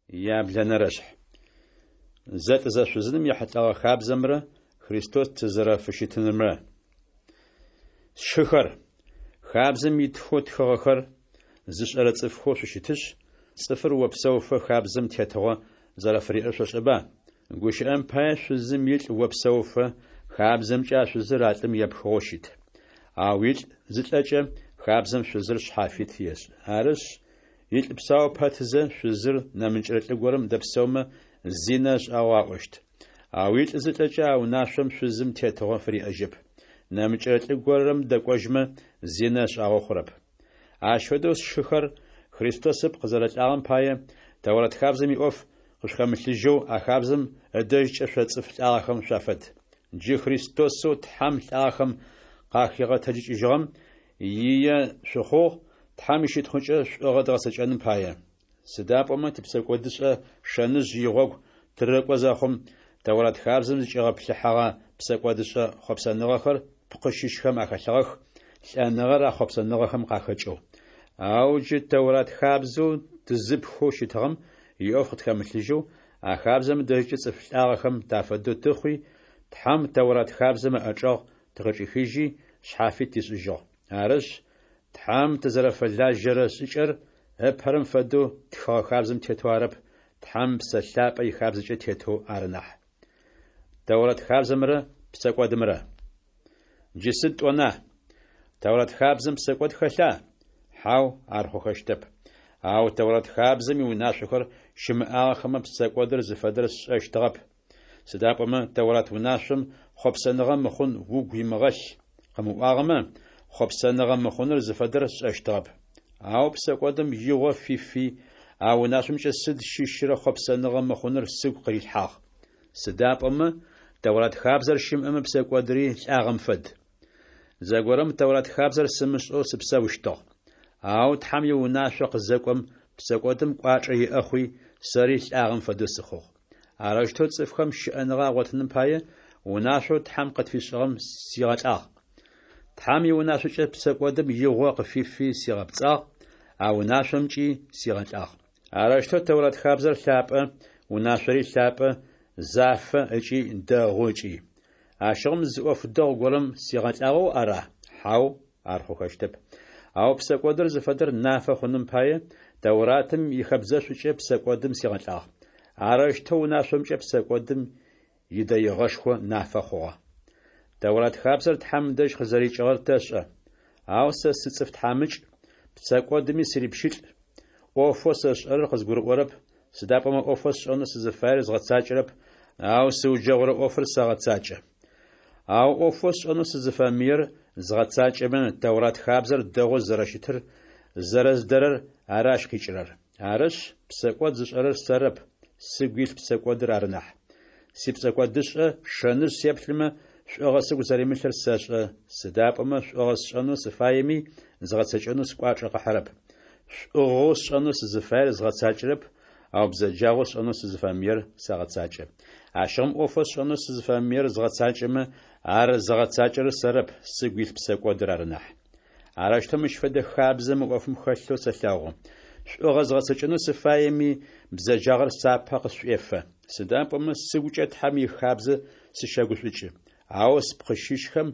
Яблэнэрэшъхь. Зэлӏзэшъузыным ехьылӏэгъэ хабзэмрэ Христос тызэрэфыщытынымрэ. Сшыхэр, хабзэм итхэу тхыгъэхэр зышӏэрэ цӏыфхэу шъущытышъ, цӏыфыр опсэуфэ хабзэм тетыгъо зэрэфыриӏэр шъошӏэба? Гущыӏэм пае, шъузым илӏ опсэуфэ, хабзэмкӏэ а шъузыр а лӏым епхыгъэу щыт. Ау илӏ зылӏэкӏэ, хабзэм шъузыр шъхьафит ешӏы. Арышъ, илӏ псау пэтызэ, шъузыр нэмыкӏрэ лӏы горэм дэпсэумэ, зинэ ышӏагъэу аӏощт. Ау илӏ зылӏэкӏэ а унашъом шъузым тетыгъо фыриӏэжьэп. Нэмыкӏрэ лӏы горэм дэкӏожьмэ, зинэ ышӏагъэу хъурэп. Ащ фэдэу, сшыхэр, Христос ыпкъ зэрэлӏагъэм пае, Тэурэт хабзэм иӏоф къышъухэмылъыжьэу а хабзэм ыдэжькӏэ шъо цӏыф лӏагъэхэм шъуафэд. Джы Христосэу Тхьэм лӏагъэхэм къахигъэтэджыкӏыжьыгъэм ие шъухъугъ, Тхьэм ищытхъукӏэ шӏугъэ дгъэцэкӏэным пае. Сыда пӏомэ типсэкӏодышӏэ шэныжъ игъогу тырыкӏо зэхъум, Тэурат хабзэм зыкӏигъэплъыхьэгъэ псэкӏодышӏэ хъопсэныгъэхэр тпкъы щыщхэм ахэлъыгъэх, лӏэныгъэр а хъопсэныгъэхэм къахэкӏэу. Ау джы Тэурат хабзэу тызыпхэу щытыгъэм иӏоф къытхэмылъыжьэу, а хабзэм ыдэжькӏэ цӏыф лӏагъэхэм тафэдэу тыхъуи, Тхьэм Тэурат хабзэм ыӏэчӏэгъ тыкъычӏихыжьи, шъхьафит тишӏыжьыгъ. Арышъ, Тхьэм тызэрэфэлажьэрэ шӏыкӏэр ыпэрэм фэдэу тхыгъэ хабзэм тетэу арэп, Тхьэм Псэ Лъапӏэ ихабзэкӏэ тетэу ары нахь. Тэурэт хабзэмрэ псэкӏодымрэ. Джы сыд тӏона? Тэурэт хабзэм псэкӏод хэлъа? Хьау, ар хъухэщтэп. Ау Тэурэт хабзэм иунашъохэр щымыӏагъэхэмэ псэкӏодыр зыфэдэр сшӏэщтыгъэп. Сыда пӏомэ Тэурат унашъом хъопсэныгъэ мыхъун угу имыгъэлъ къымыӏуагъэмэ, хъопсэныгъэ мыхъуныр зыфэдэр сшӏэщтыгъэп. Ау псэкӏодым игъо фифи, а унашъомкӏэ сыд щыщрэ хъопсэныгъэ мыхъуныр сыгу къырилъхьагъ. Сыда пӏомэ Тэурат хабзэр щымыӏэмэ псэкӏодри лӏагъэм фэд. Зэгорэм Тэурат хабзэр сымышӏэу сыпсэущтыгъ. Ау Тхьэм иунашъо къызэкӏом, псэкӏодым кӏуачӏэ иӏэ хъуи, сэри лӏагъэм фэдэу сыхъугъ. Арэущтэу цӏыфхэм щыӏэныгъэ агъотыным пае, унашъоу Тхьэм къытфишӏыгъэм сигъэлӏагъ. Тхьэм иунашъокӏэ псэкӏодым игъо къыфифи сигъэпцӏагъ, а унашъомкӏи сигъэлӏагъ. Арэущтэу Тэурат хабзэр лъапӏэ, унашъори лъапӏэ, зафэ ыкӏи дэгъу ыкӏи. Ащыгъум зы ӏоф дэгъу горэм сигъэлӏагъэу ара? Хьау, ар хъухэщтэп. Ау псэкӏодыр зыфэдэр нафэ хъуным пае, Тэуратым ихэбзэшӏукӏэ псэкӏодым сигъэлӏагъ. Арэущтэу унашъомкӏэ псэкӏодым идэигъэшхо нафэ хъугъэ. Тэурат хабзэр Тхьэм дэжь къызэрикӏыгъэр тэшӏэ. Ау сэ сыцӏыф тхьамыкӏ, псэкӏодыми сырипщылӏ. ӏофэу сэ сшӏэрэр къызгурыӏорэп, сыда пӏомэ ӏофэу сшӏэнэу сызыфаер згъэцакӏэрэп, ау сыуджэгъурэ ӏофыр сэгъэцакӏэ. Ау ӏофэу сшӏэнэу сызыфэмыер згъэцакӏэмэ, Тэурат хабзэр дэгъоу зэрэщытыр зэрэздэрэр ары ащ къикӏырэр. Арышъ, псэкӏод зышӏэрэр сэрэп, сыгу илъ псэкӏодыр ары нахь. Сипсэкӏодышӏэ шэныжъ сеплъымэ, шӏугъэ сыгу зэримылъыр сэшӏэ, сыда пӏомэ шӏугъэ сшӏэнэу сыфаеми, згъэцэкӏэнэу скӏуачӏэ къыхьырэп. Шӏугъэу сшӏэнэу сызыфаер згъэцакӏэрэп, ау бзэджагъэу сшӏэнэу сызыфэмыер сэгъэцакӏэ. Ащыгъум ӏофэу сшӏэнэу сызыфэмыер згъэцакӏэмэ, ар зыгъэцакӏэрэр сэрэп, сыгу илъ псэкӏодыр ары нахь. Арэущтэу мыщ фэдэ хабзэ мы ӏофым хэлъэу сэлъэгъу. Шӏугъэ згъэцэкӏэнэу сыфаеми, бзэджагъэр сапэ къысшӏуефэ. Сыда пӏомэ сыгукӏэ Тхьэм ихабзэ сыщэгушӏукӏы. Ау спкъы щыщхэм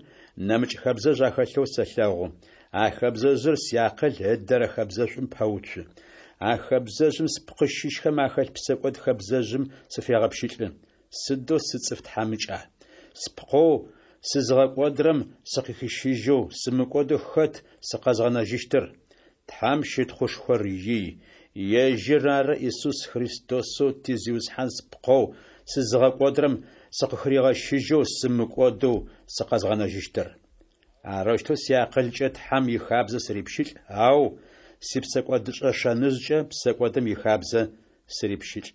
нэмыкӏ хэбзэжъ ахэлъэу сэлъэгъу. А хэбзэжъыр сиакъыл ыдэрэ хэбзэшӏум пэуцу. А хэбзэжъым спкъы щыщхэм ахэлъ псэкӏод хэбзэжъым сыфегъэпщылӏы. Сыдэу сыцӏыф тхьамыкӏа! Спкъэу сызыгъэкӏодырэм сыкъыхищыжьэу, сымыкӏодэу хэт сыкъэзгъэнэжьыщтыр? Тхьэм щытхъушхор ий! Ежьыр ары Исус Христосэу ти Зиусхьан спкъэу сызыгъэкӏодырэм сыкъыхыригъэщыжьэу сымыкӏодэу сыкъэзгъэнэжьыщтыр. Арэущтэу сиакъылкӏэ Тхьэм ихабзэ сырипщылӏ, ау сипсэкӏодышӏэ шэныжъкӏэ псэкӏодым ихабзэ сырипщылӏ.